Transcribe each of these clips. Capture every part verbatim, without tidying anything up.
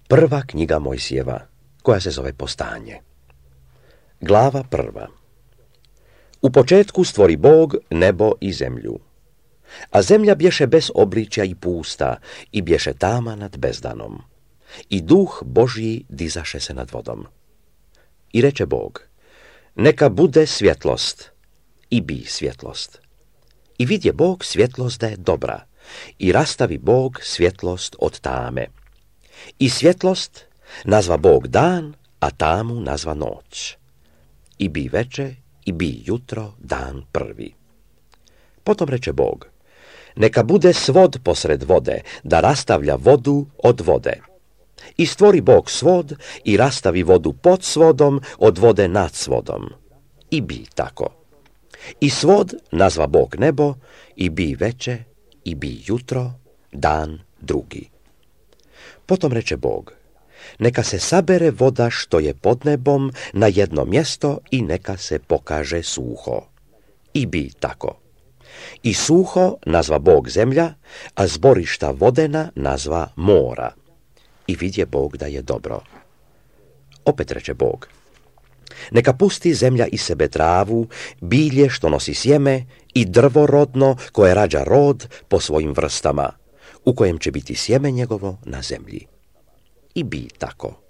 Prva knjiga Mojsijeva, koja se zove Postanje. Glava prva. U početku stvori Bog nebo i zemlju. A zemlja bješe bez obličja i pusta, i bješe tama nad bezdanom. I duh Božji dizaše se nad vodom. I reče Bog, neka bude svjetlost, i bi svjetlost. I vidje Bog svjetlost da je dobra, i rastavi Bog svjetlost od tame. I svjetlost nazva Bog dan, a tamu nazva noć. I bi veče, i bi jutro, dan prvi. Potom reče Bog, neka bude svod posred vode, da rastavlja vodu od vode. I stvori Bog svod i rastavi vodu pod svodom od vode nad svodom. I bi tako. I svod nazva Bog nebo, i bi veče, i bi jutro, dan drugi. Potom reče Bog, neka se sabere voda što je pod nebom na jedno mjesto i neka se pokaže suho. I bi tako. I suho nazva Bog zemlja, a zborišta vodena nazva mora. I vidje Bog da je dobro. Opet reče Bog, neka pusti zemlja iz sebe travu, bilje što nosi sjeme i drvo rodno koje rađa rod po svojim vrstama, u kojem će biti sjeme njegovo na zemlji. I bi tako.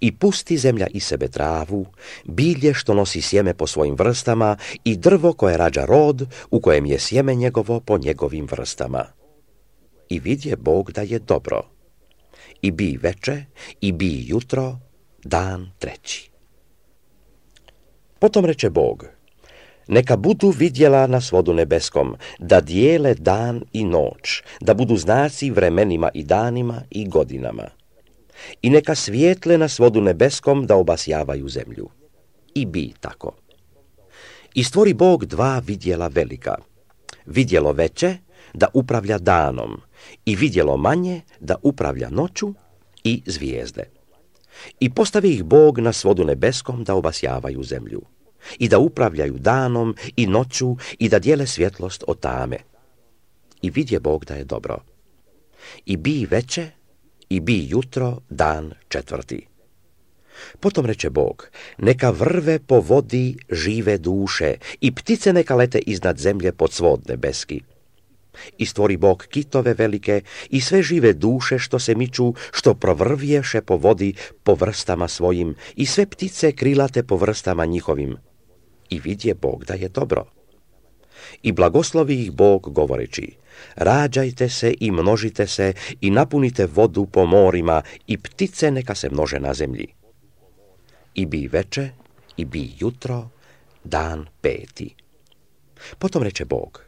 I pusti zemlja iz sebe travu, bilje što nosi sjeme po svojim vrstama i drvo koje rađa rod, u kojem je sjeme njegovo po njegovim vrstama. I vidje Bog da je dobro. I bi veče, i bi jutro, dan treći. Potom reče Bog, neka budu vidjela na svodu nebeskom, da dijele dan i noć, da budu znaci vremenima i danima i godinama. I neka svijetle na svodu nebeskom da obasjavaju zemlju. I bi tako. I stvori Bog dva vidjela velika. Vidjelo veće da upravlja danom i vidjelo manje da upravlja noću i zvijezde. I postavi ih Bog na svodu nebeskom da obasjavaju zemlju i da upravljaju danom i noću i da dijele svjetlost od tame. I vidje Bog da je dobro. I bi veče, i bi jutro, dan četvrti. Potom reče Bog, neka vrve po vodi žive duše i ptice neka lete iznad zemlje pod svod nebeski. I stvori Bog kitove velike i sve žive duše što se miču, što provrvješe po vodi po vrstama svojim i sve ptice krilate po vrstama njihovim. I vidje Bog da je dobro. I blagoslovi ih Bog govoreći, rađajte se i množite se i napunite vodu po morima i ptice neka se množe na zemlji. I bi veče, i bi jutro, dan peti. Potom reče Bog,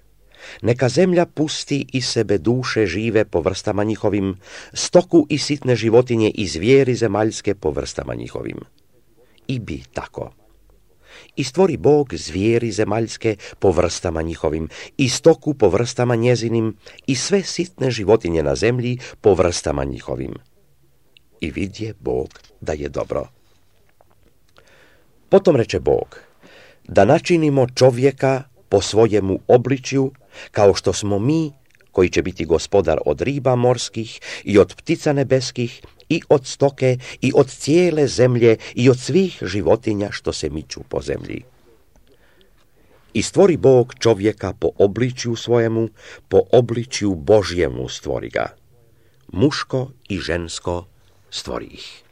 neka zemlja pusti iz sebe duše žive po vrstama njihovim, stoku i sitne životinje i zvijeri zemaljske po vrstama njihovim. I bi tako. I stvori Bog zvijeri zemaljske po vrstama njihovim, i stoku po vrstama njezinim, i sve sitne životinje na zemlji po vrstama njihovim. I vidje Bog da je dobro. Potom reče Bog, da načinimo čovjeka po svojemu obličju, kao što smo mi, koji će biti gospodar od riba morskih i od ptica nebeskih i od stoke i od cijele zemlje i od svih životinja što se miču po zemlji. I stvori Bog čovjeka po obličju svojemu, po obličju Božjemu stvori ga. Muško i žensko stvori ih.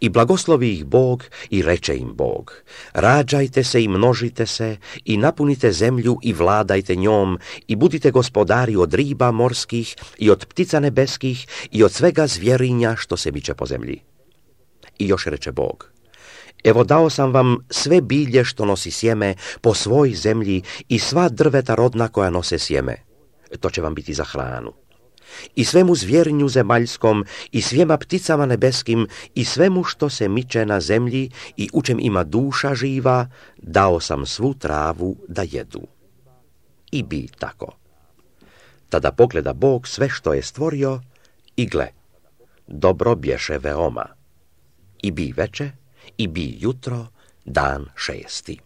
I blagoslovi ih Bog i reče im Bog, rađajte se i množite se i napunite zemlju i vladajte njom i budite gospodari od riba morskih i od ptica nebeskih i od svega zvjerinja što se miče po zemlji. I još reče Bog, evo dao sam vam sve bilje što nosi sjeme po svoj zemlji i sva drveta rodna koja nose sjeme. To će vam biti za hranu. I svemu zvjerinju zemaljskom, i svijema pticama nebeskim, i svemu što se miče na zemlji, i u čem ima duša živa, dao sam svu travu da jedu. I bi tako. Tada pogleda Bog sve što je stvorio, i gle, dobro bješe veoma. I bi veče, i bi jutro, dan šesti.